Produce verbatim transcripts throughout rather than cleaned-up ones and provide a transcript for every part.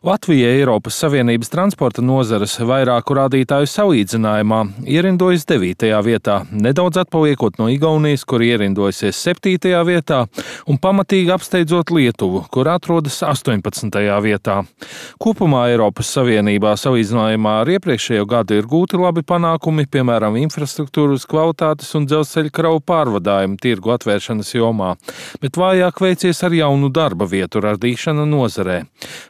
Latvija Eiropas Savienības transporta nozares vairāku rādītāju salīdzinājumā ierindojas devītajā vietā, nedaudz atpaliekot no Igaunijas, kur ierindojusies septītajā vietā, un pamatīgi apsteidzot Lietuvu, kur atrodas astoņpadsmitajā vietā. Kopumā Eiropas Savienībā salīdzinājumā ar iepriekšējo gadu ir gūti labi panākumi, piemēram, infrastruktūras kvalitātes un dzelzceļa kravu pārvadājumu tirgu atvēršanas jomā, bet vājāk veicies ar jaunu darba vietu radīšanu nozarē.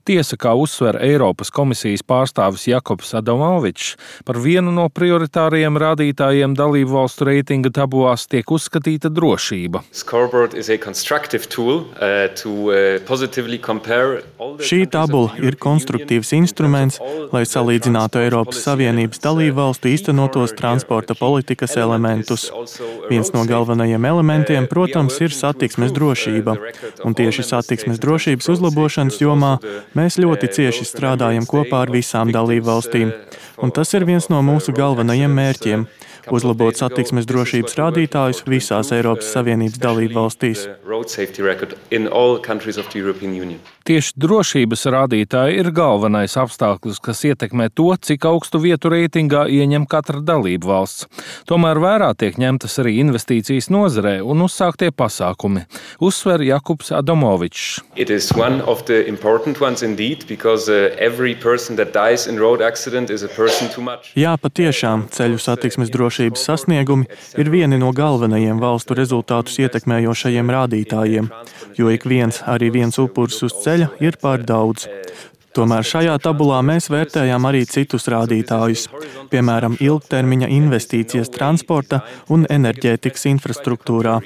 Tiesa, kā uzsver Eiropas komisijas pārstāvis Jakobs Adamovičs, par vienu no prioritārajiem rādītājiem dalību valstu reitinga tabulās tiek uzskatīta drošība. Šī tabula ir konstruktīvs instruments, lai salīdzinātu Eiropas Savienības dalību valstu īstenotos transporta politikas elementus. Viens no galvenajiem elementiem, protams, ir satiksmes drošība, un tieši satiksmes drošības uzlabošanas jomā mēs ļoti cieši strādājam kopā ar visām dalībvalstīm, un tas ir viens no mūsu galvenajiem mērķiem – uzlabot satiksmes drošības rādītājus visās Eiropas Savienības dalībvalstīs. Tieši drošības rādītāji ir galvenais apstākļus, kas ietekmē to, cik augstu vietu reitingā ieņem katra dalība valsts. Tomēr vērā tiek ņemtas arī investīcijas nozarē un uzsāktie pasākumi, uzsver Jakobs Adamovičs. Jā, patiešām, ceļu satiksmes drošības sasniegumi ir vieni no galvenajiem valstu rezultātus ietekmējošajiem rādītājiem, jo ik viens, arī viens upuris uz ceļa ir pār daudz. Tomēr šajā tabulā mēs vērtējām arī citus rādītājus, piemēram, ilgtermiņa investīcijas transporta un enerģētikas infrastruktūrā.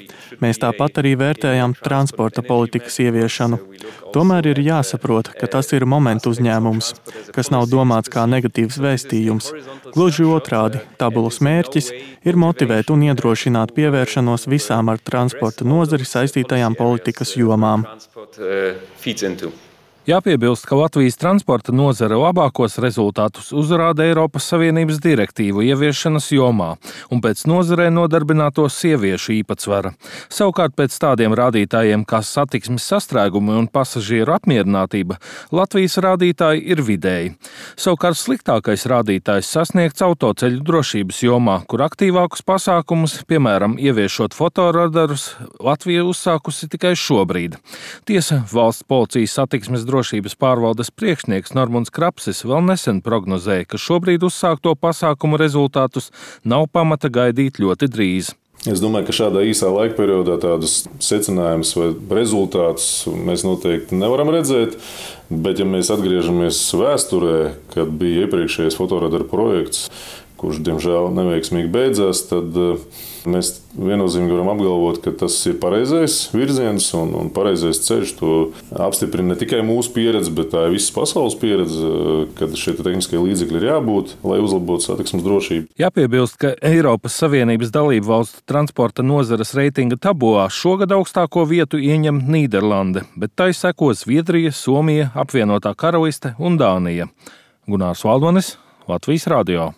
Mēs tāpat arī vērtējām transporta politikas ieviešanu. Tomēr ir jāsaprot, ka tas ir momentu uzņēmums, kas nav domāts kā negatīvs vēstījums. Gluži otrādi, tabulas mērķis ir motivēt un iedrošināt pievēršanos visām ar transporta nozari saistītajām politikas jomām. Jāpiebilst, ka Latvijas transporta nozare labākos rezultātus uzrāda Eiropas Savienības direktīvu ieviešanas jomā un pēc nozarē nodarbināto sieviešu īpatsvara. Savukārt pēc tādiem rādītājiem kā satiksmes sastrēgumi un pasažieru apmierinātība Latvijas rādītāji ir vidēji. Savukārt sliktākais rādītājs sasniegts autoceļu drošības jomā, kur aktīvākus pasākumus, piemēram, ieviešot fotoradarus, Latvija uzsākusi tikai šobrīd. Tiesa, valsts policijas satiksmes drošības pārvaldes priekšnieks Normunds Krapsis vēl nesen prognozēja, ka šobrīd uzsākto pasākumu rezultātus nav pamata gaidīt ļoti drīz. Es domāju, ka šādā īsā laika periodā tādus secinājumus vai rezultātus mēs noteikti nevaram redzēt, bet ja mēs atgriežamies vēsturē, kad bija iepriekšējais fotoradaru projekts, kurš, diemžēl, neveiksmīgi beidzās, tad mēs viennozīmīgi varam apgalvot, ka tas ir pareizais virziens un, un pareizais ceļš. To apstiprina ne tikai mūsu pieredze, bet tā ir visas pasaules pieredze, kad šie tehniskie līdzekļi ir jābūt, lai uzlabotu satiksmes drošību. Jāpiebilst, ka Eiropas Savienības dalību valstu transporta nozares reitinga tabulā šogad augstāko vietu ieņem Nīderlande, bet tai seko Zviedrija, Somija, Apvienotā Karaliste un Dānija. Gunārs Valdonis, Latvijas radio.